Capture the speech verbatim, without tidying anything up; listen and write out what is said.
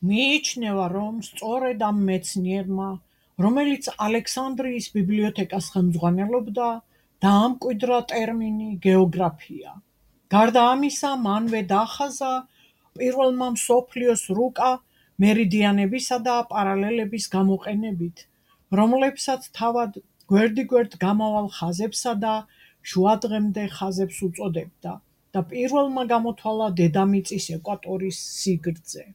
მიიჩნევა, რომ სწორედ ამ მეცნიერმა, რომელიც ალექსანდრიის ბიბლიოთეკას ხელმძღვანელობდა, დაამკვიდრა ტერმინი გეოგრაფია. გარდა ამისა, მანვე დაახაზა პირველმა მსოფლიოს რუკა მერიდიანებისა და პარალელების გამოყენებით, რომლებსაც თავად გვერდიგვერდ გამავალ ხაზებსა და შუადღემდე ხაზებს უწოდებდა და პირველმა გამოთვალა დედამიწის ეკვატორის სიგრძე.